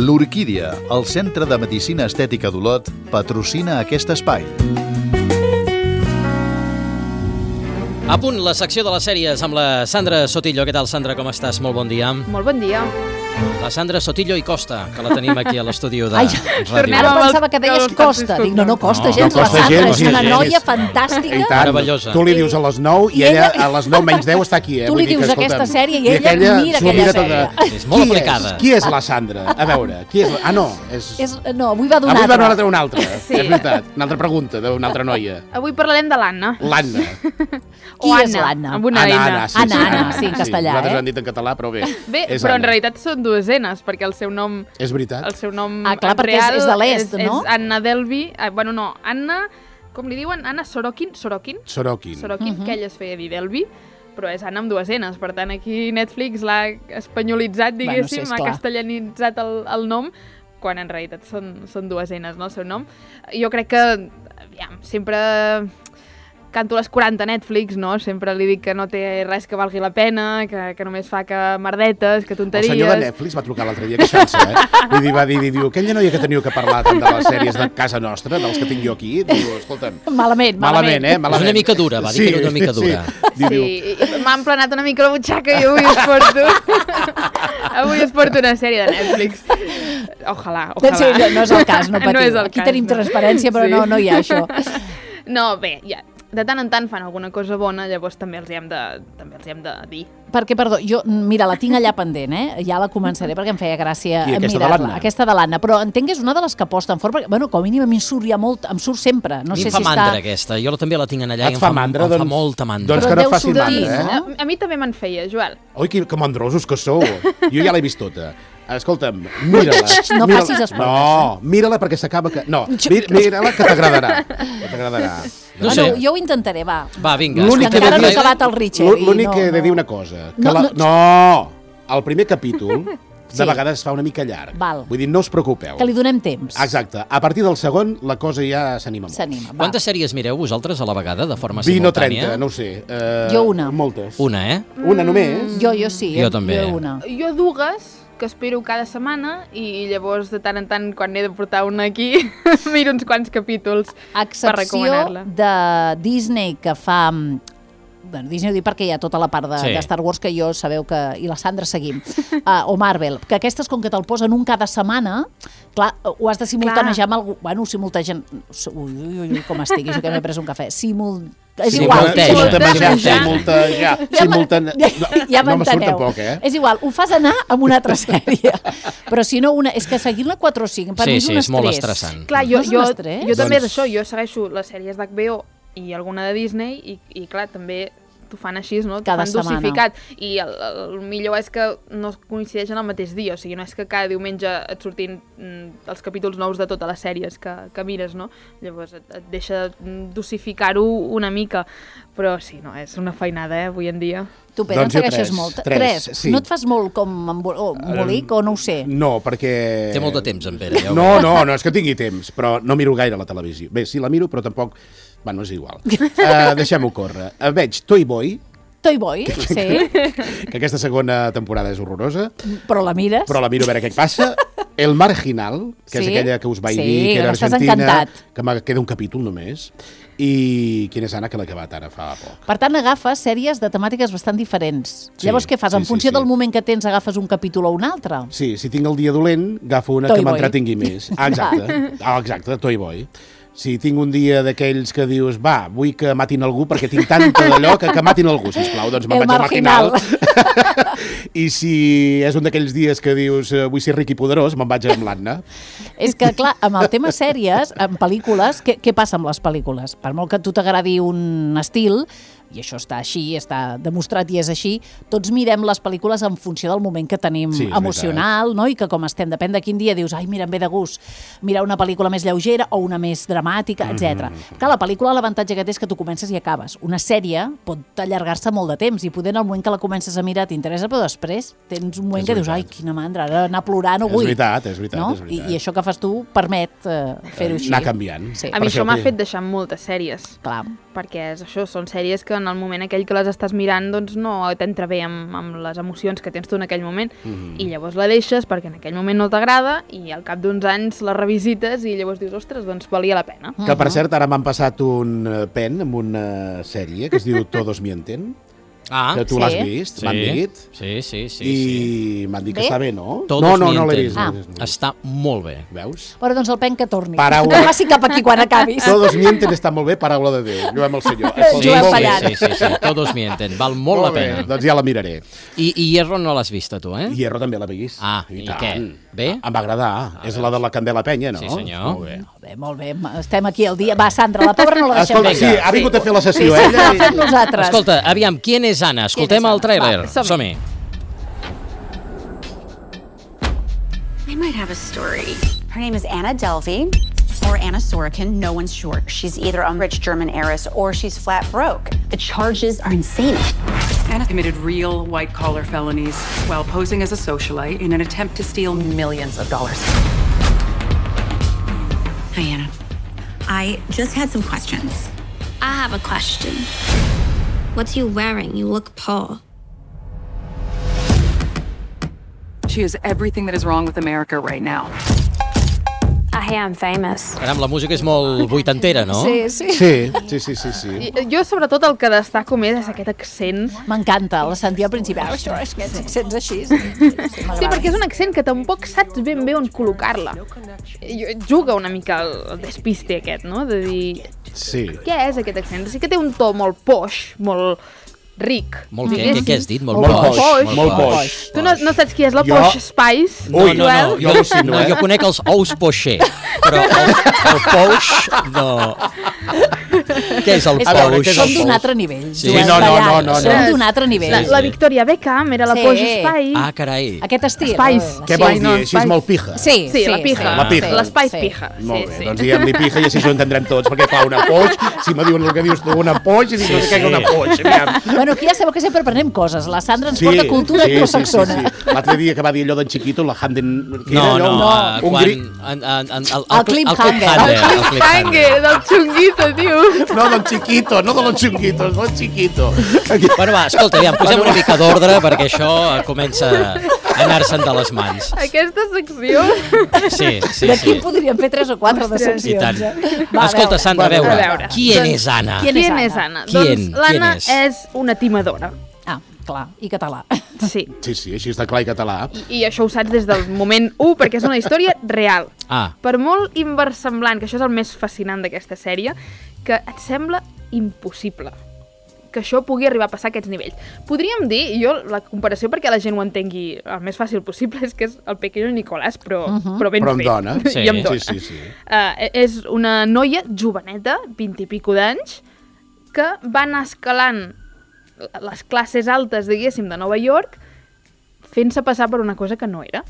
L'Orquídia, el Centre de Medicina Estètica d'Olot, patrocina aquest espai. A punt, la secció de les sèries amb la Sandra Sotillo. Què tal, Sandra? Com estàs? Molt bon dia. Molt bon dia. La Sandra Sotillo i Costa, que la tenim aquí a l'estudi de ràdio. Ara pensava que deies Costa. Dic, no costa gens. La Sandra és una noia fantàstica. Meravellosa. Tu li dius a les 9 i ella a les 9 menys 10 està aquí. Tu li dius aquesta sèrie i ella mira aquella sèrie. És molt aplicada. Qui és la Sandra? A veure, qui és la... Ah, no. No, avui va Avui va donar una altra. És veritat. Una altra pregunta d'una altra noia. Avui parlarem de l'Anna. L'Anna. Qui és l'Anna? Amb una N. Anna, sí, en castellà. Nosaltres ho han dit en català, però bé. Bé, però en realitat són dues N's, perquè el seu nom... És veritat. El seu nom clar, perquè real és de l'est, no? És Anna Delvey. Bueno, no, Anna... Com li diuen? Anna Sorokin? Sorokin. Que ella es feia dir Delvey, però és Anna amb dues N's. Per tant, aquí Netflix l'ha espanyolitzat, diguéssim, ha castellanitzat el nom, quan en realitat són dues N's, no, el seu nom. Jo crec que, aviam, sempre... Canto les 40 a Netflix, no? Sempre li dic que no té res que valgui la pena, que només fa que merdetes, que tonteries... El senyor de Netflix va trucar l'altre dia queixant-se, Va dir, aquella noia que teniu que parlar tant de les sèries de casa nostra, dels que tinc jo aquí, diu, escolta'm... Malament. És una mica dura, va dir que era una mica dura. Sí, m'ha emplenat una mica la butxaca i avui es porto una sèrie de Netflix. Ojalà. Sí, no és el cas, no patiu. Aquí tenim transparència, però no hi ha això. No, bé, ja... De tant en tant fan alguna cosa bona, llavors també els hi hem de dir. Perquè, perdó, jo, mira, la tinc allà pendent, Ja la començaré perquè em feia gràcia mirar-la. Aquesta de l'Anna. Però entenc que és una de les que aposten fort, perquè, bueno, com a mínim a mi em surt ja molt, em surt sempre. No sé si fa mandra, aquesta. Jo també la tinc allà i em fa molta mandra. Doncs que no faci mandra, A mi també me'n feia, Joel. Oi, que mandrosos que sou. Jo ja l'he vist tota. Escolta'm, mira-la. No facis esport. No, mira-la perquè s'acaba que... No, mira-la que t'agradarà. No sé. Jo ho intentaré, va. Va, vinga. Encara no he acabat el Richard. L'únic que he de dir una cosa. No, el primer capítol de vegades es fa una mica llarg. Vull dir, no us preocupeu. Que li donem temps. Exacte. A partir del segon, la cosa ja s'anima molt. Quantes sèries mireu vosaltres a la vegada, de forma simultània? 20 o 30, no ho sé. Jo una. Moltes. Una, Una només? Jo sí. Jo també. Jo dues, que espero cada setmana, i llavors de tant en tant, quan n'he de portar una aquí, miro uns quants capítols per recomanar-la. Excepció de Disney, que fa... Bueno, Disney ho dic perquè hi ha tota la part de Star Wars que jo sabeu que... I la Sandra seguim. O Marvel. Que aquestes, com que te'l posen un cada setmana, clar, ho has de simultanejar amb algú... Bueno, simultanejar... Ui, com estic, això que m'he pres un cafè. És igual. Ja m'enteneu. És igual, ho fas anar amb una altra sèrie. Però si no, és que seguir-la 4 o 5, per mi és un estrès. Sí, és molt estressant. Clar, jo també és això, jo segueixo les sèries d'HBO i alguna de Disney i clar, també t'ho fan així, no? T'ho fan dosificat. I el millor és que no coincideixen el mateix dia, o sigui, no és que cada diumenge et surtin els capítols nous de totes les sèries que mires, no? Llavors et deixa dosificar-ho una mica, però sí, no, és una feinada, avui en dia. Tu, Pere, en segueixes molt? 3. No et fas molt com embolic o no ho sé? No, perquè... Té molt de temps, en Pere. No, és que tingui temps, però no miro gaire la televisió. Bé, sí, la miro, però tampoc... Bueno, és igual. Deixem-ho córrer. Veig Toy Boy. Toy Boy, sí. Que aquesta segona temporada és horrorosa. Però la mires. Però la miro a veure què passa. El Marginal, que és aquella que us vaig dir, que era argentina, que me queda un capítol només. I quina és Anna, que l'ha acabat ara fa poc. Per tant, agafes sèries de temàtiques bastant diferents. Llavors, què fas? En funció del moment que tens, agafes un capítol o un altre? Sí, si tinc el dia dolent, agafo una que m'entretingui més. Exacte, Toy Boy. Si tinc un dia d'aquells que dius, va, vull que matin algú perquè tinc tanta d'allò que matin algú, sisplau, doncs me'n vaig al Marginal. I si és un d'aquells dies que dius, vull ser ric i poderós, me'n vaig amb l'Anna. És que, clar, amb el tema sèries, en pel·lícules, què passa amb les pel·lícules? Per molt que a tu t'agradi un estil, i això està així, està demostrat i és així, tots mirem les pel·lícules en funció del moment que tenim emocional, no? I que com estem, depèn de quin dia, dius, ai, mira, em ve de gust mirar una pel·lícula més lleugera o una més dramàtica, etc. Clar, la pel·lícula l'avantatge que té és que tu comences i acabes. Una sèrie pot allargar-se molt de temps i poder en el moment que la comences a mirar t'interessa, però després tens un moment que dius, ai, quina mandra, ara anar a plorar no vull. És veritat. I això que fas tu permet fer-ho així. Anar canviant. A mi això m'ha fet deixar moltes sèries. Clar. Perquè és això, són sèries que en el moment aquell que les estàs mirant doncs no t'entra bé amb les emocions que tens tu en aquell moment, i llavors la deixes perquè en aquell moment no t'agrada i al cap d'uns anys la revisites i llavors dius, ostres, doncs valia la pena. Que per cert, ara m'han passat un pen amb una sèrie que es diu Todos mienten, que tu l'has vist, m'han dit. Sí. I m'han dit que està bé, no? Todos No l'he vist. Està molt bé. Veus? Però doncs el pen que torni. Paraula. Que passi cap aquí quan acabis. Todos mienten està molt bé, paraula de Déu. Lluem el senyor. Sí, Todos mienten. Val molt la pena. Doncs ja la miraré. I Hierro no l'has vist, tu, eh? Hierro també l'he vist. Ah, i què? Bé? Em va agradar. És la de la Candela Penya, no? Sí, senyor. Molt bé. Estem aquí al dia. Va, Sandra, la pobra no la deixem. Escolta, sí, ha vingut a fer la sessió, Sí, la fem nosaltres. Escolta, aviam, ¿quién és Anna? Escoltem el tràiler. Som-hi. I might have a story. Her name is Anna Delvey, or Anna Sorokin, no one's sure. She's either a rich German heiress or she's flat broke. The charges are insane. Anna committed real white-collar felonies while posing as a socialite in an attempt to steal millions of dollars. Hi, Anna. I just had some questions. I have a question. What's you wearing? You look poor. She is everything that is wrong with America right now. I hear I'm famous. Caram, la música és molt vuitantera, no? Sí. Jo, sobretot, el que destaco més és aquest accent. M'encanta, la sentia al principi. Això és que accents així. Sí, perquè és un accent que tampoc saps ben bé on col·locar-la. Juga una mica el despiste aquest, no? De dir, què és aquest accent? Sí que té un to molt poix, molt ric. Molt què has dit? Molt poix. Tu no saps qui és la Posh Spice? No, jo conec els ous poixer, però el poix no. Què és el poix? Som d'un altre nivell. No. Som d'un altre nivell. La Victoria Beckham era la Posh Spice. Ah, carai. Aquest estil. Spice. Què vols dir? Així és molt pija. Sí, la pija. La Spice pija. Molt bé, doncs diguem-li pija i així ho entendrem tots, perquè clar, una poix, si me diuen el que dius tu, una poix, i dius que és una poix. Bueno, aquí ja sabeu que sempre aprenem coses. La Sandra ens porta cultura anglosaxona. L'altre dia que va dir allò d'en Chiquito, la Handen... No, el cliffhanger. El cliffhanger del xunguito, tio. No, del Chiquito, no de los chunguitos, del Chiquito. Bueno, va, escolta, aviam, posem una mica d'ordre perquè això comença a anar-se'n de les mans. Aquesta secció... Sí. D'aquí podríem fer 3 o 4 de seccions. Escolta, Sandra, a veure, qui és Anna? Qui és Anna? Doncs l'Anna és una timadora. Ah, clar, i català. Sí, així està clar i català. I això ho saps des del moment 1, perquè és una història real. Per molt inversemblant, que això és el més fascinant d'aquesta sèrie, que et sembla impossible que això pugui arribar a passar a aquests nivells. Podríem dir, la comparació perquè la gent ho entengui el més fàcil possible, és que és el Pequeño Nicolás, però ben fet. Dona. Sí. I amb dona. Sí. És una noia joveneta, 20 i pico d'anys, que va anar escalant les classes altes, diguéssim, de Nova York, fent-se passar per una cosa que no era.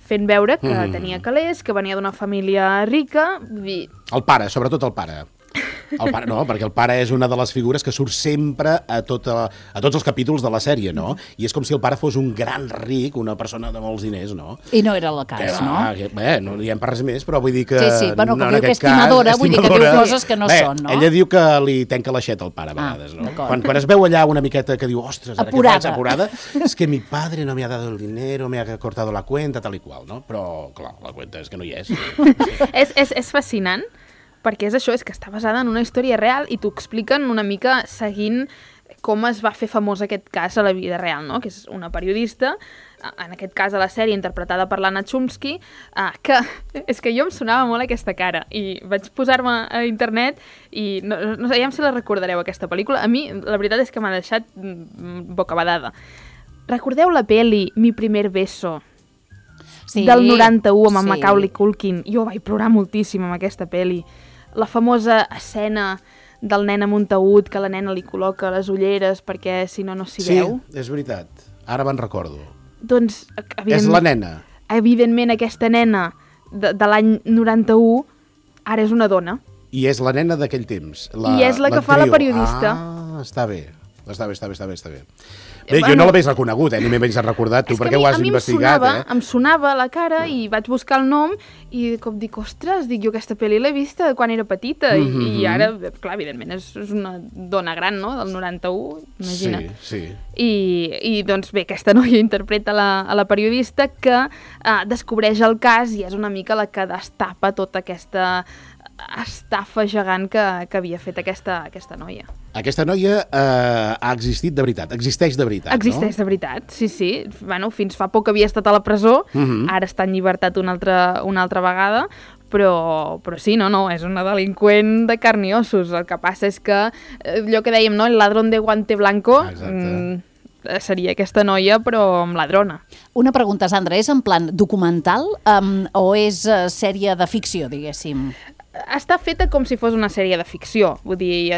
Fent veure que tenia calés, que venia d'una família rica. El pare, sobretot el pare. No, perquè el pare és una de les figures que surt sempre a tots els capítols de la sèrie, no? I és com si el pare fos un gran ric, una persona de molts diners, no? I no era el cas, no? Bé, no diem per res més, però vull dir que... Sí, bueno, com diu que és timadora, vull dir que diu coses que no són, no? Ella diu que li tenca l'aixeta al pare a vegades, no? Quan es veu allà una miqueta que diu, ostres, ara què faig apurada, és que mi padre no me ha dado el dinero, me ha cortado la cuenta, tal i qual, no? Però, clar, la cuenta és que no hi és. És fascinant, perquè és això, és que està basada en una història real i t'ho expliquen una mica seguint com es va fer famós aquest cas a la vida real, no? Que és una periodista, en aquest cas a la sèrie interpretada per l'Anna Chomsky, que és que jo em sonava molt aquesta cara i vaig posar-me a internet i no sé, ja si la recordareu aquesta pel·lícula. A mi la veritat és que m'ha deixat bocabadada. Recordeu la peli Mi primer beso? Del 91 amb Macaulay Culkin. Jo vaig plorar moltíssim amb aquesta peli. La famosa escena del nen amb un taüt que la nena li col·loca les ulleres perquè si no s'hi veu. Sí, és veritat. Ara me'n recordo. Doncs, és la nena. Evidentment, aquesta nena de l'any 91 ara és una dona. I és la nena d'aquell temps. I és la que fa la periodista. Ah, està bé. Està bé. Bé, jo no l'hagués reconegut, ni m'he pensat recordat, tu perquè ho has investigat, em sonava la cara i vaig buscar el nom i de cop dic, ostres, jo aquesta pel·li l'he vista quan era petita i ara, clar, evidentment, és una dona gran, no?, del 91, imagina't. Sí. I doncs bé, aquesta noia interpreta a la periodista que descobreix el cas i és una mica la que destapa tota aquesta estafa gegant que havia fet aquesta noia. Aquesta noia ha existit de veritat, existeix de veritat, Existeix de veritat, sí. Bueno, fins fa poc havia estat a la presó, ara està en llibertat una altra vegada, però sí, no, és una delinqüent de carn i ossos. El que passa és que, allò que dèiem, no?, el ladrón de guante blanco, seria aquesta noia, però amb ladrona. Una pregunta, Sandra, és en plan documental o és sèrie de ficció, diguéssim? Està feta com si fos una sèrie de ficció, vull dir,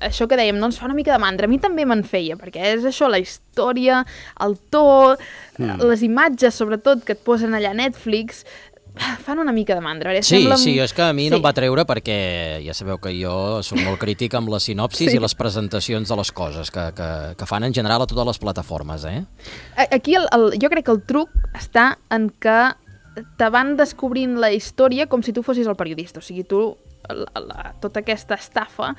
això que dèiem, no ens fa una mica de mandra, a mi també me'n feia, perquè és això, la història, el to, les imatges, sobretot, que et posen allà a Netflix, fan una mica de mandra. Sí, és que a mi no em va treure perquè ja sabeu que jo soc molt crític amb les sinopsis i les presentacions de les coses que fan en general a totes les plataformes, Aquí jo crec que el truc està en que te van descobrint la història com si tu fossis el periodista. O sigui, tu tota aquesta estafa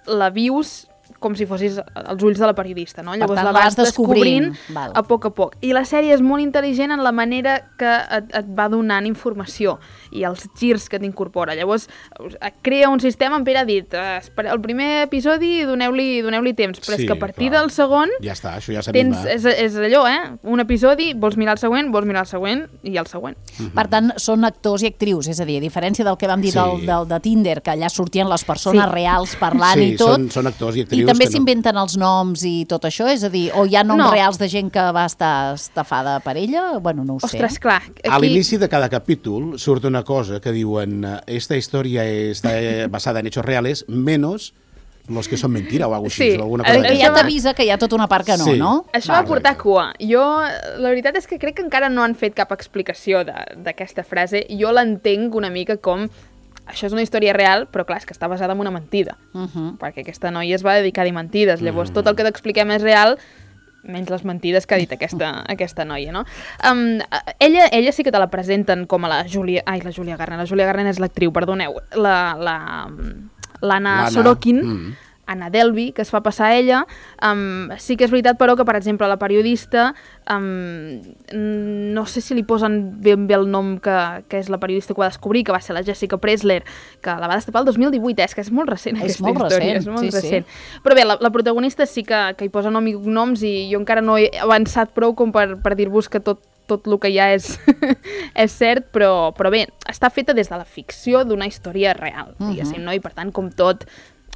la vius com si fossis els ulls de la periodista, no? Llavors la vas descobrint a poc. I la sèrie és molt intel·ligent en la manera que et va donant informació i els girs que t'incorpora. Llavors et crea un sistema, en Pere ha dit, el primer episodi doneu-li temps, però és que a partir del segon ja està, això ja s'anima. És allò, un episodi, vols mirar el següent i el següent. Per tant, són actors i actrius, és a dir, a diferència del que vam dir de Tinder, que allà sortien les persones reals parlant i tot. Sí, són actors i actrius. I també s'inventen els noms i tot això? És a dir, o hi ha noms reals de gent que va estar estafada per ella? Bueno, no ho sé. Ostres, clar. A l'inici de cada capítol surt una cosa que diuen esta història està basada en hechos reales, menos los que són mentira o alguna cosa així. Que ja t'avisa que hi ha tota una part que no? Això va portar cua. Jo, la veritat és que crec que encara no han fet cap explicació d'aquesta frase. Jo l'entenc una mica com això és una història real, però clar, és que està basada en una mentida, perquè aquesta noia es va dedicar a dir mentides, llavors tot el que t'expliquem és real, menys les mentides que ha dit aquesta noia, no? Ella sí que te la presenten com a la Julia Garner és l'actriu, perdoneu, l'Anna Sorokin, Anna Delvey, que es fa passar a ella. Sí que és veritat, però, que, per exemple, la periodista, no sé si li posen ben bé el nom que és la periodista que va descobrir, que va ser la Jessica Pressler, que la va destapar el 2018, és que és molt recent aquesta història. És molt recent. Però bé, la protagonista sí que hi posa nom i cognoms i jo encara no he avançat prou com per dir-vos que tot el que hi ha és cert, però bé, està feta des de la ficció d'una història real, diguéssim, no? I per tant, com tot,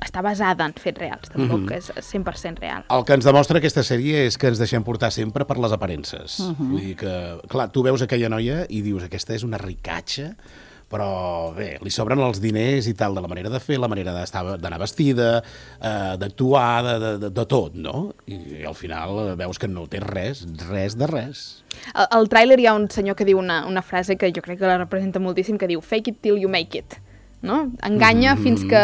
està basada en fets reals, tampoc és 100% real. El que ens demostra aquesta sèrie és que ens deixem portar sempre per les aparences. Vull dir que, clar, tu veus aquella noia i dius, aquesta és una ricatxa, però bé, li sobren els diners i tal, de la manera de fer, la manera d'anar vestida, d'actuar, de tot, no? I al final veus que no té res de res. Al tràiler hi ha un senyor que diu una frase que jo crec que la representa moltíssim, que diu fake it till you make it. No? Enganya fins que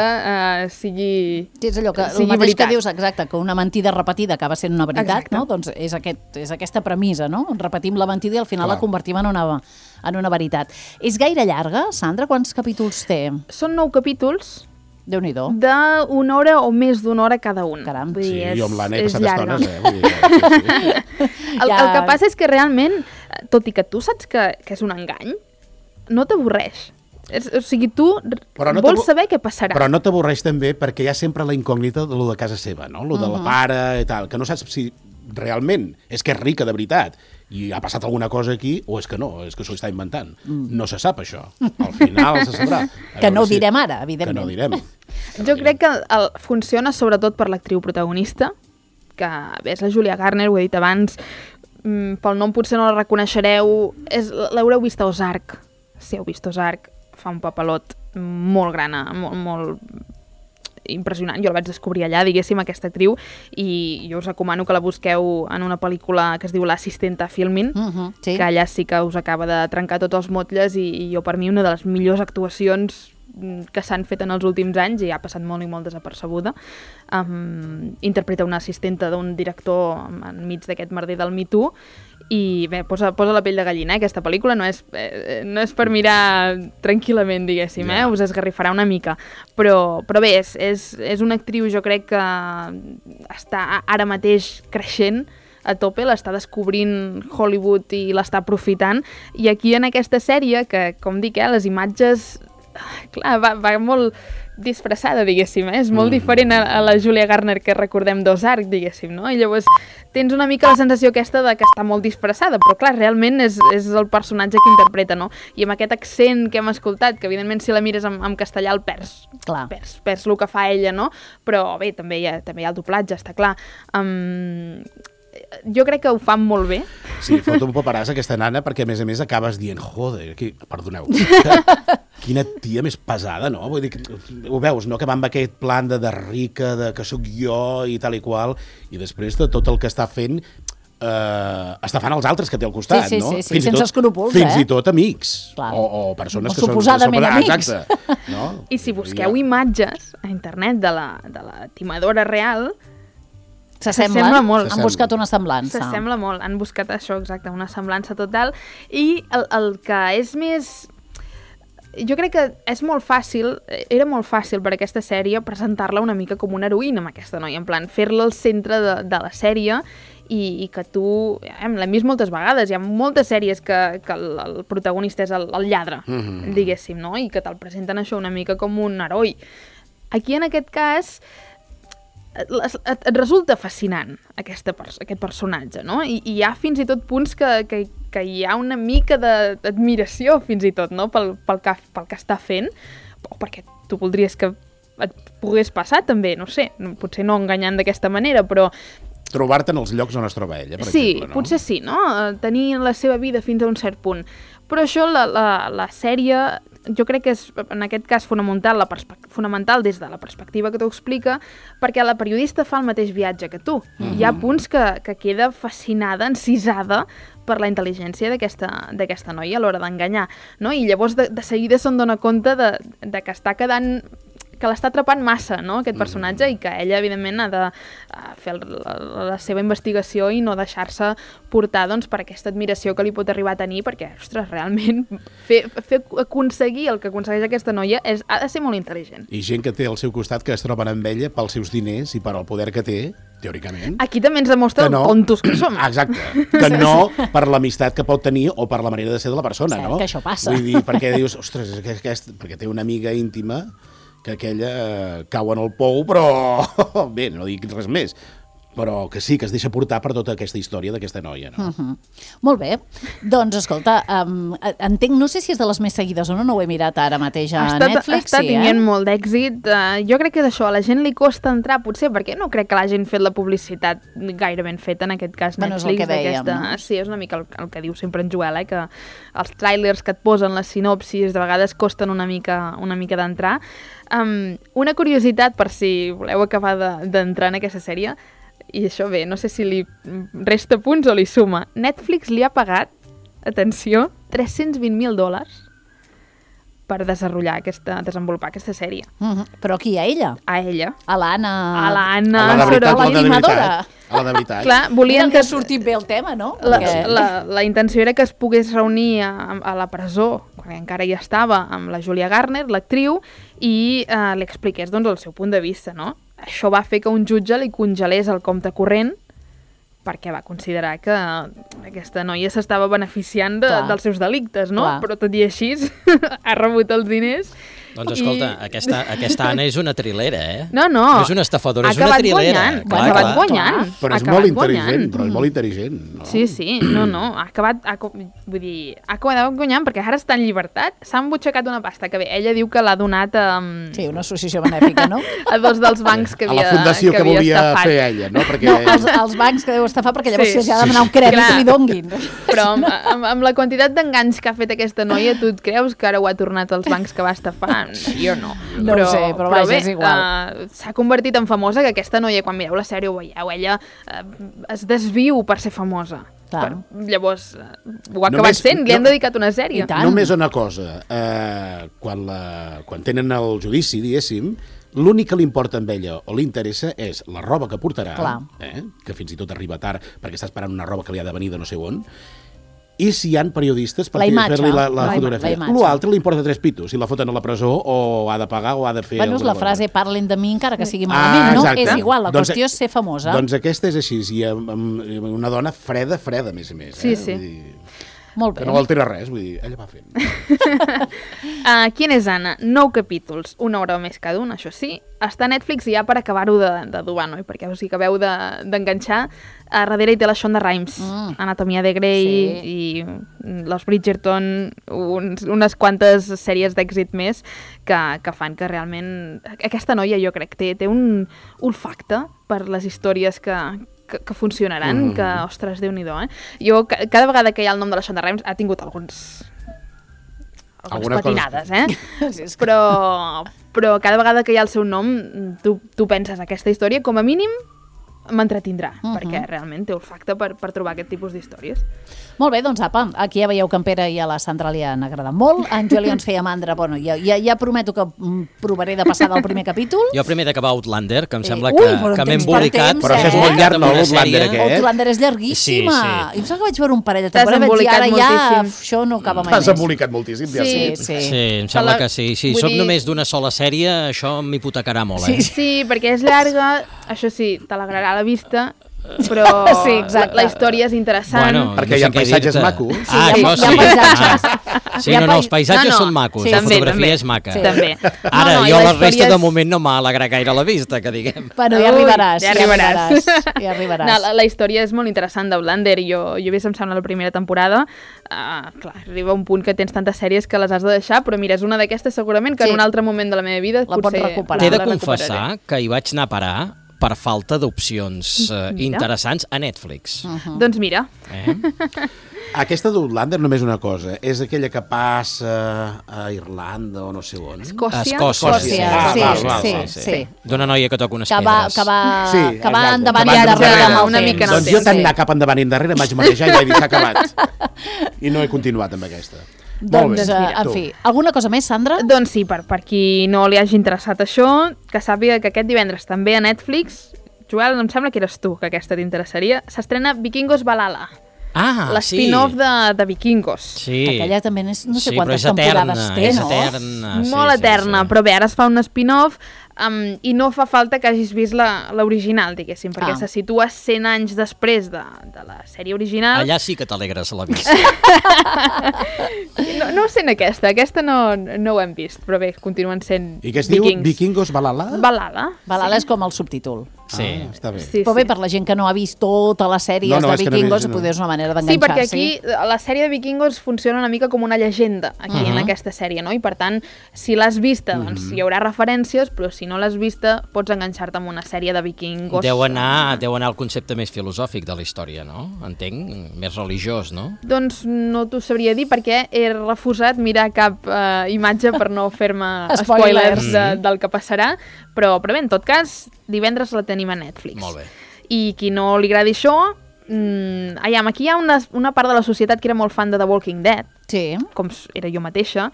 sigui veritat. Sí, és allò que el mateix que dius, exacte, que una mentida repetida acaba sent una veritat, no? Doncs és aquesta premissa, no? Repetim la mentida i al final la convertim en una veritat. És gaire llarga, Sandra? Quants capítols té? Són 9 capítols. Déu-n'hi-do. D'una hora o més d'una hora cada un. Caram. Sí, jo amb l'Anna he passat estones, El que passa és que realment, tot i que tu saps que és un engany, no t'avorreix. O sigui, tu vols saber què passarà. Però no t'avorreix també perquè hi ha sempre la incògnita de lo de casa seva, no? Lo de la pare i tal, que no saps si realment és que és rica de veritat i ha passat alguna cosa aquí o és que no, és que s'ho està inventant. No se sap això. Al final se sabrà. Que no ho direm ara, evidentment. Que no ho direm. Jo crec que funciona sobretot per l'actriu protagonista, que és la Julia Garner, ho he dit abans, pel nom potser no la reconeixereu, l'haureu vist a Ozark. Si heu vist Ozark, fa un papelot molt gran, molt impressionant. Jo la vaig descobrir allà, diguéssim, aquesta actriu, i jo us recomano que la busqueu en una pel·lícula que es diu L'assistenta Filmin, que allà sí que us acaba de trencar tots els motlles i jo, per mi, una de les millors actuacions que s'han fet en els últims anys i ha passat molt i molt desapercebuda. Interpreta una assistenta d'un director enmig d'aquest merder del Me Too i bé, posa la pell de gallina, aquesta pel·lícula no és per mirar tranquil·lament, diguéssim, us esgarrifarà una mica, però bé, és una actriu, jo crec que està ara mateix creixent a tope, l'està descobrint Hollywood i l'està aprofitant, i aquí en aquesta sèrie, que com dic, les imatges, clar, va molt disfressada, diguéssim, és molt diferent a la Julia Garner que recordem d'Ozark, diguéssim, no? I llavors tens una mica la sensació aquesta de que està molt disfressada, però clar, realment és el personatge que interpreta, no? I amb aquest accent que hem escoltat, que evidentment si la mires en castellà el perds el que fa ella, no? Però bé, també hi ha el doblatge, està clar. Jo crec que ho fan molt bé. Sí, fot un paperàs aquesta nana, perquè a més acabes dient, joder, perdoneu, quina tia més pesada, no? Vull dir, ho veus, no? Que va amb aquest plan de rica, de que sóc jo i tal i qual, i després de tot el que està fent, està fan els altres que té al costat, no? Sí, sense escrúpols, Fins i tot amics, o persones que són... Suposadament amics. Exacte. No? I si busqueu imatges a internet de la timadora real, s'assembla molt. Han buscat una semblança. S'assembla molt, han buscat això, exacte, una semblança total. I el que és més... Jo crec que és molt fàcil, era molt fàcil per aquesta sèrie presentar-la una mica com una heroïna amb aquesta noia, en plan, fer-la al centre de la sèrie i que tu... l'hem vist moltes vegades, hi ha moltes sèries que el protagonista és el lladre, diguéssim, no? I que te'l presenten això una mica com un heroi. Aquí, en aquest cas, et resulta fascinant aquest personatge, no? I hi ha fins i tot punts que hi ha una mica d'admiració fins i tot, no? pel que està fent, o perquè tu voldries que et pogués passar també, no sé, potser no enganyant d'aquesta manera, però... Trobar-te en els llocs on es troba ella, per exemple, no? Potser sí, no? Tenir la seva vida fins a un cert punt. Però això, la sèrie, jo crec que és, en aquest cas, fonamental des de la perspectiva que t'ho explica, perquè la periodista fa el mateix viatge que tu. Hi ha punts que queda fascinada, encisada per la intel·ligència d'aquesta noia a l'hora d'enganyar, no? I llavors de seguida se'n dona compte de que està quedant... que l'està atrapant massa, no?, aquest personatge, i que ella, evidentment, ha de fer la seva investigació i no deixar-se portar, doncs, per aquesta admiració que li pot arribar a tenir, perquè, ostres, realment, fer aconseguir el que aconsegueix aquesta noia ha de ser molt intel·ligent. I gent que té al seu costat que es troben amb ella pels seus diners i per al poder que té, teòricament. Aquí també ens demostra el tontos que som. Exacte. Que no per l'amistat que pot tenir o per la manera de ser de la persona, no? Que això passa. Vull dir, perquè dius, ostres, perquè té una amiga íntima que aquella cau en el pou, però bé, no dic res més, però que sí, que es deixa portar per tota aquesta història d'aquesta noia, no? Molt bé. Doncs, escolta, entenc, no sé si és de les més seguides o no ho he mirat ara mateix a Netflix. Està tenint molt d'èxit. Jo crec que és això, a la gent li costa entrar, potser, perquè no crec que l'hagin fet la publicitat gaire ben feta, en aquest cas Netflix. És el que dèiem, no? Sí, és una mica el que diu sempre en Joel, que els tràilers que et posen, les sinopsis, de vegades costen una mica d'entrar. Una curiositat, per si voleu acabar d'entrar en aquesta sèrie, i això bé, no sé si li resta punts o li suma. Netflix li ha pagat, atenció, $320,000 per desenvolupar aquesta sèrie. Però aquí, a ella? A ella. A l'Anna. A l'Anna. A la de veritat. Clar, volien que sortit bé el tema, no? La intenció era que es pogués reunir a la presó, quan encara hi estava, amb la Julia Garner, l'actriu, i li expliqués, doncs, el seu punt de vista, no? Això va fer que un jutge li congelés el compte corrent perquè va considerar que aquesta noia s'estava beneficiant dels seus delictes, no? Clar. Però tot i així ha rebut els diners. Doncs escolta, aquesta Anna és una trilera, eh? No. No és una estafadora, és una trilera. Ha acabat guanyant. Però és molt intel·ligent, no? Sí, no. Ha acabat guanyant perquè ara està en llibertat. S'ha embutxacat una pasta que bé, ella diu que l'ha donat Sí, una associació benèfica, no? A dos dels bancs que havia estafat. A la fundació que volia fer ella, no? Els bancs que deu estafar perquè llavors s'ha de demanar un crèdit que li donguin. Però amb la quantitat d'enganys que ha fet aquesta noia, tu et creus que ara ho ha tornat als bancs que va estafar? Jo no. No ho sé, però vaja, és igual. S'ha convertit en famosa, que aquesta noia, quan mireu la sèrie ho veieu, ella es desviu per ser famosa. Llavors, ho ha acabat sent, li han dedicat una sèrie. Només una cosa, quan tenen el judici, diguéssim, l'únic que li importa amb ella o li interessa és la roba que portarà, que fins i tot arriba tard perquè està esperant una roba que li ha de venir de no sé on, i si hi ha periodistes per fer-li la fotografia. L'altre li importa 3 pitos, si la foten a la presó o ha de pagar o ha de fer... Bueno, és la frase parlen de mi encara que sigui malament, no? És igual, la qüestió és ser famosa. Doncs aquesta és així, i una dona freda, a més a més. Sí. Molt bé. Que no altera res, vull dir, ella va fent. Quin és Anna? 9 capítols, 1 hora més cada un, això sí. Està a Netflix i ja per acabar-ho d'adobar, no? Perquè us hi acabeu d'enganxar. A darrere hi té la Shonda Rhimes, Anatomia de Grey i Los Bridgerton, unes quantes sèries d'èxit més que fan que realment... Aquesta noia jo crec té un olfacte per les històries que funcionaran, que, ostres, Déu-n'hi-do, Jo, cada vegada que hi ha el nom de la Shonda Rhimes, ha tingut algunes patinades, però cada vegada que hi ha el seu nom, tu penses aquesta història, com a mínim, m'entretindrà, perquè realment té olfacte per trobar aquest tipus d'històries. Molt bé, doncs apa, aquí ja veieu que en Pere i a la Sandra li han agradat molt. En Juli ens feia mandra, bueno, ja prometo que provaré de passar del primer capítol. Jo primer d'acabar Outlander, que em sembla que m'he embolicat. Però això és molt llarg, no, l'Outlander aquest? Outlander és llarguíssima. I em sembla que vaig veure un parell de temporades i ara ja això no acaba mai més. T'has embolicat moltíssim, ja sí. Sí, em sembla que sí. Si soc només d'una sola sèrie, això m'hipotecarà molt, Sí, perquè és llarga, això sí, t'alegrarà la vista, però la història és interessant. Perquè hi ha paisatges macos. Això sí. Sí, els paisatges són macos, la fotografia és maca. Ara, jo la resta de moment no m'ha alegrat gaire la vista, que diguem. Bueno, ja arribaràs. La història és molt interessant d'Outlander. Jo he vist, em sembla, la primera temporada. Clar, arriba un punt que tens tantes sèries que les has de deixar, però mira, és una d'aquestes segurament que en un altre moment de la meva vida la pots recuperar. T'he de confessar que hi vaig anar a parar per falta d'opcions interessants a Netflix. Doncs mira. Aquesta d'Outlander només una cosa, és aquella que passa a Irlanda o no sé on. Escòcia. Sí. D'una noia que toca unes pedres. Que va endavant i endarrere amb el temps. Doncs jo tant anar cap endavant i endarrere vaig manejar i vaig dir s'ha acabat. I no he continuat amb aquesta. Doncs, en fi, alguna cosa més, Sandra? Doncs sí, per qui no li hagi interessat això, que sàpiga que aquest divendres també a Netflix, Joel, em sembla que eres tu, que aquesta t'interessaria, s'estrena Vikingos Valhalla. L'spin-off de Vikingos. Sí. Aquella també no sé quantes temporades té, no? És eterna. Molt eterna, però bé, ara es fa un spin-off i no fa falta que hagis vist l'original, diguéssim, perquè se situa 100 anys després de la sèrie original. Allà sí que t'alegres la vista. No sent aquesta no ho hem vist, però bé, continuen sent Vikings. I què es diu? Vikingos Valhalla? Valhalla és com el subtítol. Sí, està bé. Però bé, per la gent que no ha vist tota la sèrie de Vikingos, potser és una manera d'enganxar-s'hi. Sí, perquè aquí la sèrie de Vikingos funciona una mica com una llegenda aquí en aquesta sèrie, no? I per tant, si l'has vista, doncs hi haurà referències, però si no l'has vista, pots enganxar-te amb una sèrie de Vikingos. Deu anar al concepte més filosòfic de la història, no? Entenc, més religiós, no? Doncs no t'ho sabria dir perquè he refusat mirar cap imatge per no fer-me spoilers del que passarà, però bé, en tot cas, divendres la tenim a Netflix. Molt bé. I qui no li agradi això, aquí hi ha una part de la societat que era molt fan de The Walking Dead, com era jo mateixa,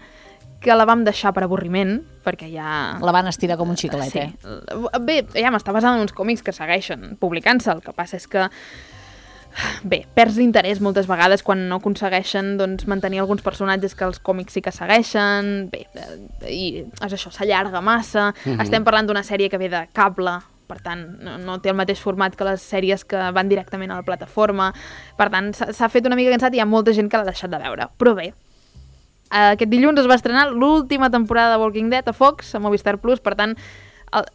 que la vam deixar per avorriment, perquè ja... La van estirar com un xiclet, Bé, està basada en uns còmics que segueixen publicant-se, el que passa és que perds l'interès moltes vegades quan no aconsegueixen mantenir alguns personatges que els còmics sí que segueixen, i és això, s'allarga massa, estem parlant d'una sèrie que ve de cable, per tant, no té el mateix format que les sèries que van directament a la plataforma, per tant, s'ha fet una mica cansat i hi ha molta gent que l'ha deixat de veure, però bé, aquest dilluns es va estrenar l'última temporada de Walking Dead a Fox, a Movistar Plus, per tant,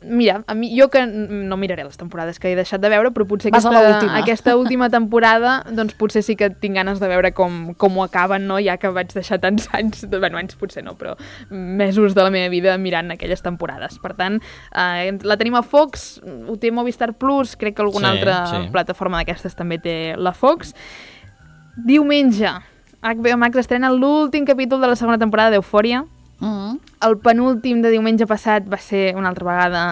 mira, jo que no miraré les temporades que he deixat de veure, però potser aquesta última temporada, doncs potser sí que tinc ganes de veure com ho acaben, no? Ja que vaig deixar tants anys, anys potser no, però mesos de la meva vida mirant aquelles temporades. Per tant, la tenim a Fox, ho té Movistar Plus, crec que alguna altra plataforma d'aquestes també té la Fox. Diumenge, HBO Max estrena l'últim capítol de la segona temporada d'Eufòria. El penúltim de diumenge passat va ser una altra vegada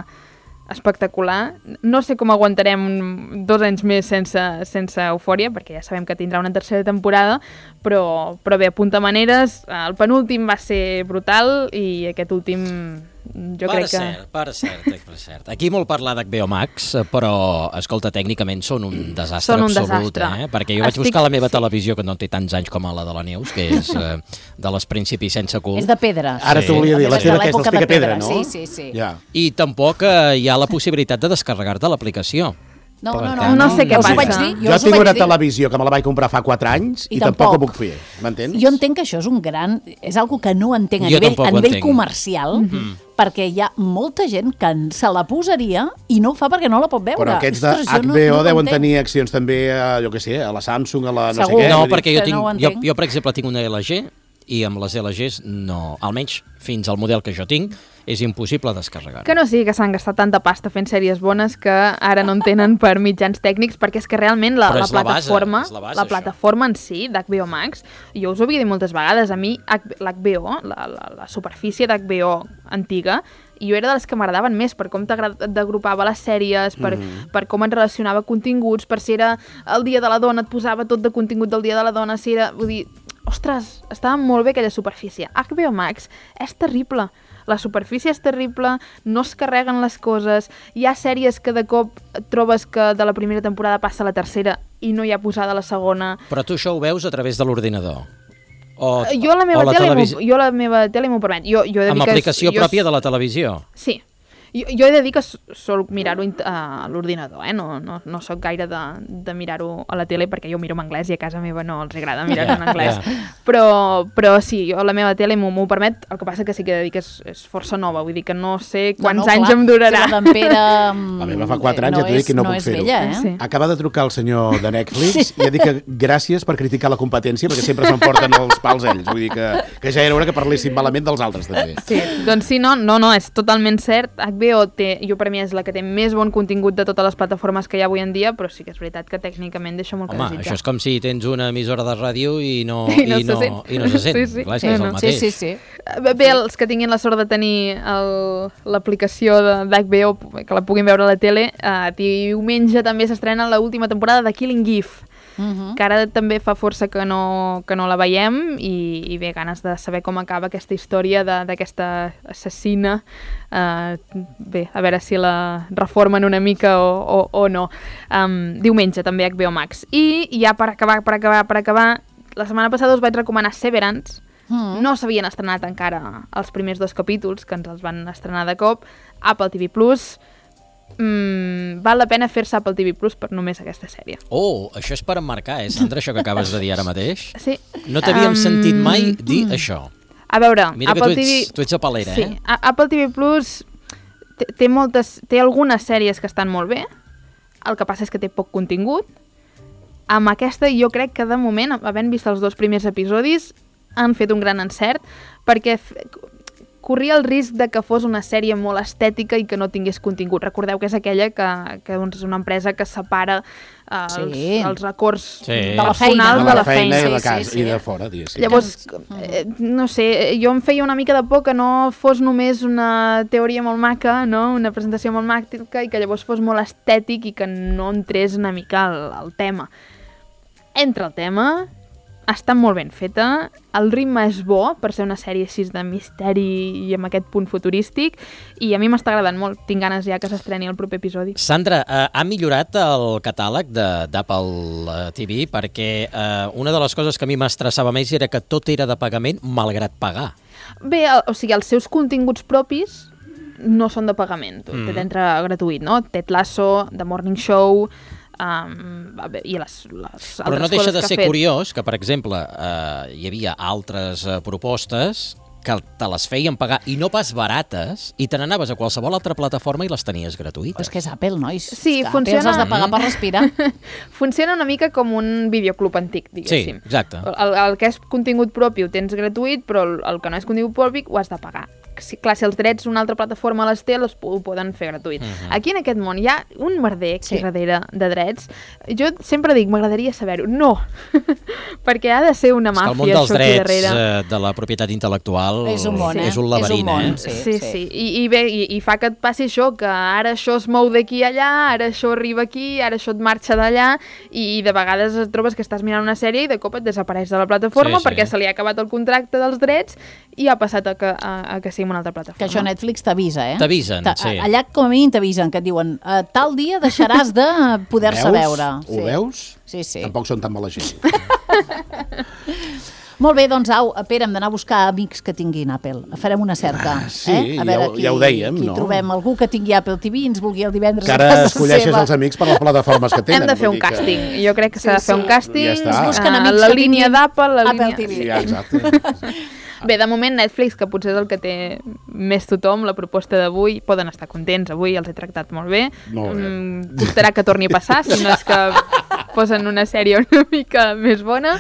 espectacular. No sé com aguantarem 2 anys més sense Eufòria, perquè ja sabem que tindrà una tercera temporada, però bé, apunta maneres. El penúltim va ser brutal i aquest últim jo crec que... Per cert. Aquí molt parlar d'HBO Max, però, escolta, tècnicament són un desastre absolut, perquè jo vaig buscar la meva televisió, que no té tants anys com la de la Neus, que és de les principis sense cul. És de pedra. Ara t'ho volia dir, la teva que és dels Picapedra, no? Sí. I tampoc hi ha la possibilitat de descarregar-te l'aplicació. No sé què passa. Jo tinc una televisió que me la vaig comprar fa 4 anys i tampoc ho puc fer, m'entens? Jo entenc que això és un gran... És algo que no entenc a nivell comercial, perquè hi ha molta gent que se la posaria i no ho fa perquè no la pot veure. Però aquests de HBO deuen tenir accions també, jo què sé, a la Samsung, a la no sé què. No, perquè jo, per exemple, tinc una LG i amb les LGs no, almenys fins al model que jo tinc, és impossible descarregar-ho. Que no sigui que s'han gastat tanta pasta fent sèries bones que ara no en tenen per mitjans tècnics, perquè és que realment la plataforma en si d'HBO Max, jo us ho havia dit moltes vegades, a mi l'HBO, la superfície d'HBO antiga, jo era de les que m'agradaven més per com t'agrupava les sèries, per com et relacionava continguts, per si era el dia de la dona, et posava tot de contingut del dia de la dona, si era... Vull dir, ostres, estava molt bé aquella superfície. HBO Max és terrible. La superfície és terrible, no es carreguen les coses, hi ha sèries que de cop trobes que de la primera temporada passa a la tercera i no hi ha posada la segona. Però tu això ho veus a través de l'ordinador? Jo la meva tele m'ho permet. Amb aplicació pròpia de la televisió? Sí. Jo he de dir que sol mirar-ho a l'ordinador, no soc gaire de mirar-ho a la tele perquè jo miro en anglès i a casa meva no els agrada mirar-ho en anglès. Però sí, la meva tele m'ho permet, el que passa que sí que he de dir que és força nova, vull dir que no sé quants anys em durarà. La meva fa 4 anys, ja t'ho dic que no puc fer-ho. Acaba de trucar el senyor de Netflix i ha dit que gràcies per criticar la competència perquè sempre s'emporten els pals ells, vull dir que ja era hora que parléssim malament dels altres també. Sí, doncs sí, no, és totalment cert. HBO per mi és la que té més bon contingut de totes les plataformes que hi ha avui en dia, però sí que és veritat que tècnicament deixa molt que desitjar. Home, això és com si tens una emissora de ràdio i no se sent. Sí. Clar, és que és el mateix. Sí. Bé, els que tinguin la sort de tenir l'aplicació d'HBO, que la puguin veure a la tele, diumenge també s'estrena l'última temporada de Killing Eve, que ara també fa força que no la veiem i bé, ganes de saber com acaba aquesta història d'aquesta assassina. Bé, a veure si la reformen una mica o no. Diumenge també HBO Max. I ja per acabar, la setmana passada us vaig recomanar Severance. No s'havien estrenat encara els primers 2 capítols, que ens els van estrenar de cop. Apple TV+. Val la pena fer-se Apple TV Plus per només aquesta sèrie. Això és per emmarcar, Sandra, això que acabes de dir ara mateix? Sí. No t'havíem sentit mai dir això. A veure, mira que tu ets apalera, sí. Apple TV Plus té algunes sèries que estan molt bé, el que passa és que té poc contingut. Amb aquesta jo crec que de moment, havent vist els 2 primers episodis, han fet un gran encert, perquè corria el risc de que fos una sèrie molt estètica i que no tingués contingut. Recordeu que és aquella que és una empresa que separa els acords personals de la feina i de casa i de fora. Llavors, no sé, jo em feia una mica de por que no fos només una teoria molt maca, una presentació molt maca i que llavors fos molt estètic i que no entrés una mica al tema. Entra el tema... Està molt ben feta, el ritme és bo per ser una sèrie així de misteri i amb aquest punt futurístic i a mi m'està agradant molt, tinc ganes ja que s'estreni el proper episodi. Sandra, ha millorat el catàleg d'Apple TV perquè una de les coses que a mi m'estressava més era que tot era de pagament malgrat pagar. Bé, o sigui, els seus continguts propis no són de pagament, t'entra gratuït, no? Ted Lasso, The Morning Show... i les però no deixa de ser curiós que, per exemple, hi havia altres propostes que te les feien pagar i no pas barates i te n'anaves a qualsevol altra plataforma i les tenies gratuïtes. És que és Apple, nois. Sí, funciona... Apple has de pagar per respirar. Funciona una mica com un videoclub antic, diguéssim. Sí, exacte. El que és contingut propi ho tens gratuït, però el que no és contingut propi ho has de pagar. clar, si els drets una altra plataforma les té, ho poden fer gratuït. Aquí en aquest món hi ha un merder aquí darrere de drets. Jo sempre dic, m'agradaria saber-ho. No, perquè ha de ser una màfia. El món dels drets de la propietat intel·lectual és un laberint, Sí. I fa que et passi això, que ara això es mou d'aquí a allà, ara això arriba aquí, ara això et marxa d'allà, i de vegades et trobes que estàs mirant una sèrie i de cop et desapareix de la plataforma perquè se li ha acabat el contracte dels drets i ha passat a que sigui una altra plataforma. Que això Netflix t'avisa, T'avisen, sí. Allà com a mínim t'avisen, que et diuen tal dia deixaràs de poder-se veure. Ho veus? Sí. Tampoc són tan mala gent. Molt bé, doncs au, Pere, hem d'anar a buscar amics que tinguin Apple. Farem una cerca. Sí, a veure, ja ho dèiem, no? Trobem algú que tingui Apple TV i ens vulgui el divendres que a casa seva. Ara escolleixes els amics per les plataformes que tenen. Hem de fer un càsting. Jo crec que s'ha de fer un càsting. Ja està. La línia d'Apple, Apple TV. Sí, exacte. Bé, de moment Netflix, que potser és el que té més tothom, la proposta d'avui, poden estar contents. Avui els he tractat molt bé. Costarà que torni a passar, si no és que posen una sèrie una mica més bona,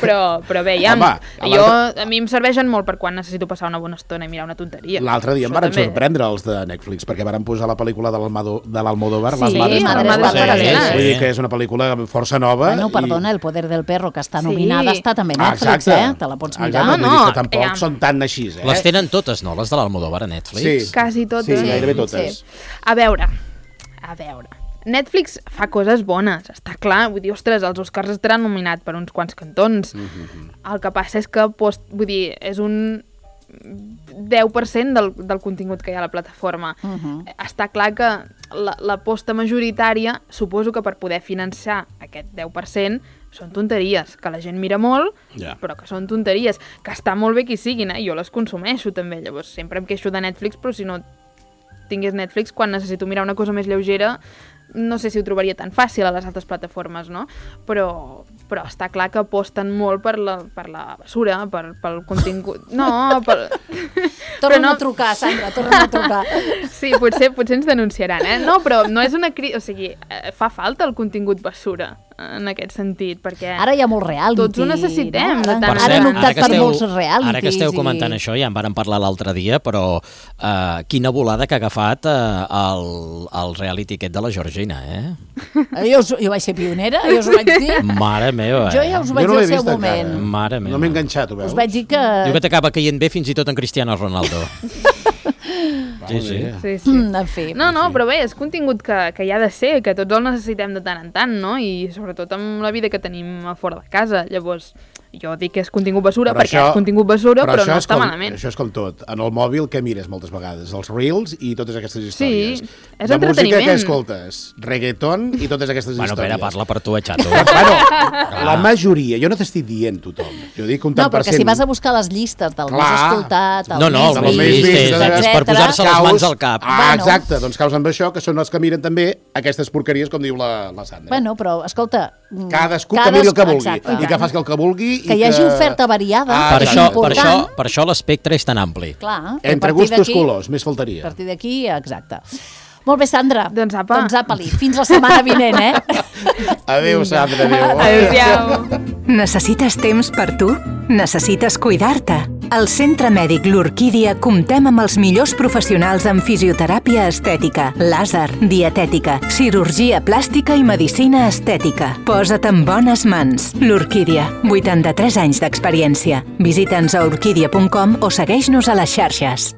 però bé, ja... A mi em serveixen molt per quan necessito passar una bona estona i mirar una tonteria. L'altre dia em van sorprendre els de Netflix, perquè van posar la pel·lícula de l'Almodóvar, Les Madres Paralelas. Vull dir que és una pel·lícula força nova. Bueno, perdona, El poder del perro, que està nominada, està també a Netflix, te la pots mirar. Vull dir que tampoc són tan així, Les tenen totes, no? Les de l'Almodóvar a Netflix? Sí. Quasi totes. Sí, gairebé totes. A veure... Netflix fa coses bones, està clar. Vull dir, ostres, els Oscars estaran nominats per uns quants cantons. El que passa és que, vull dir, és un 10% del contingut que hi ha a la plataforma. Està clar que l'aposta majoritària, suposo que per poder finançar aquest 10%, són tonteries, que la gent mira molt, però que són tonteries, que està molt bé que hi siguin, jo les consumeixo també, llavors sempre em queixo de Netflix, però si no tingués Netflix, quan necessito mirar una cosa més lleugera, no sé si ho trobaria tan fàcil a les altres plataformes, no? Però està clar que aposten molt per la basura, pel contingut... No, Torna a trucar, Sandra, torna a trucar. Sí, potser ens denunciaran, No, però no és una crítica... O sigui, fa falta el contingut basura, en aquest sentit, perquè... Ara hi ha molt reality. Tots ho necessitem. No? Ara han optat per molts realities. Ara que esteu comentant això, ja en vàrem parlar l'altre dia, però quina volada que ha agafat el reality aquest de la Georgina, Jo vaig ser pionera, jo us ho vaig dir. Mare meva, Jo ja us ho vaig dir al seu moment. Mare meva. No m'he enganxat, ho veus? Us vaig dir que... Diu que t'acaba caient bé fins i tot en Cristiano Ronaldo. Sí. En fi. No, però bé, és contingut que hi ha de ser, que tots el necessitem de tant en tant, no? I sobretot amb la vida que tenim a fora de casa. Llavors, jo dic que és contingut basura perquè és contingut basura, però no està malament. Això és com tot. En el mòbil, què mires moltes vegades? Els reels i totes aquestes històries. Sí, és entreteniment. De música, què escoltes? Reggaeton i totes aquestes històries. Bueno, Pere, parla per tu, xato. La majoria, jo no t'estic dient tothom. Jo dic un tant per cent. No, perquè si vas a buscar les llistes del més escoltat, el més vist, és per posar-se les mans al cap. Exacte, doncs caus amb això, que són els que miren també aquestes porqueries, com diu la Sandra. Bueno, però, escolta... Cadascú que miri el que vulgui, i que faci el que vulgui. Que hi hagi oferta variada, és important. Per això l'espectre és tan ampli. Clar. Entre gustos colors, més faltaria. A partir d'aquí, exacte. Molt bé, Sandra. Doncs apa. Fins la setmana vinent, Adéu, Sandra, adéu. Adéu. Necessites temps per tu? Necessites cuidar-te? Al Centre Mèdic L'Orquídia comptem amb els millors professionals en fisioteràpia estètica, làser, dietètica, cirurgia plàstica i medicina estètica. Posa't en bones mans. L'Orquídia, 83 anys d'experiència. Visita'ns a orquídia.com o segueix-nos a les xarxes.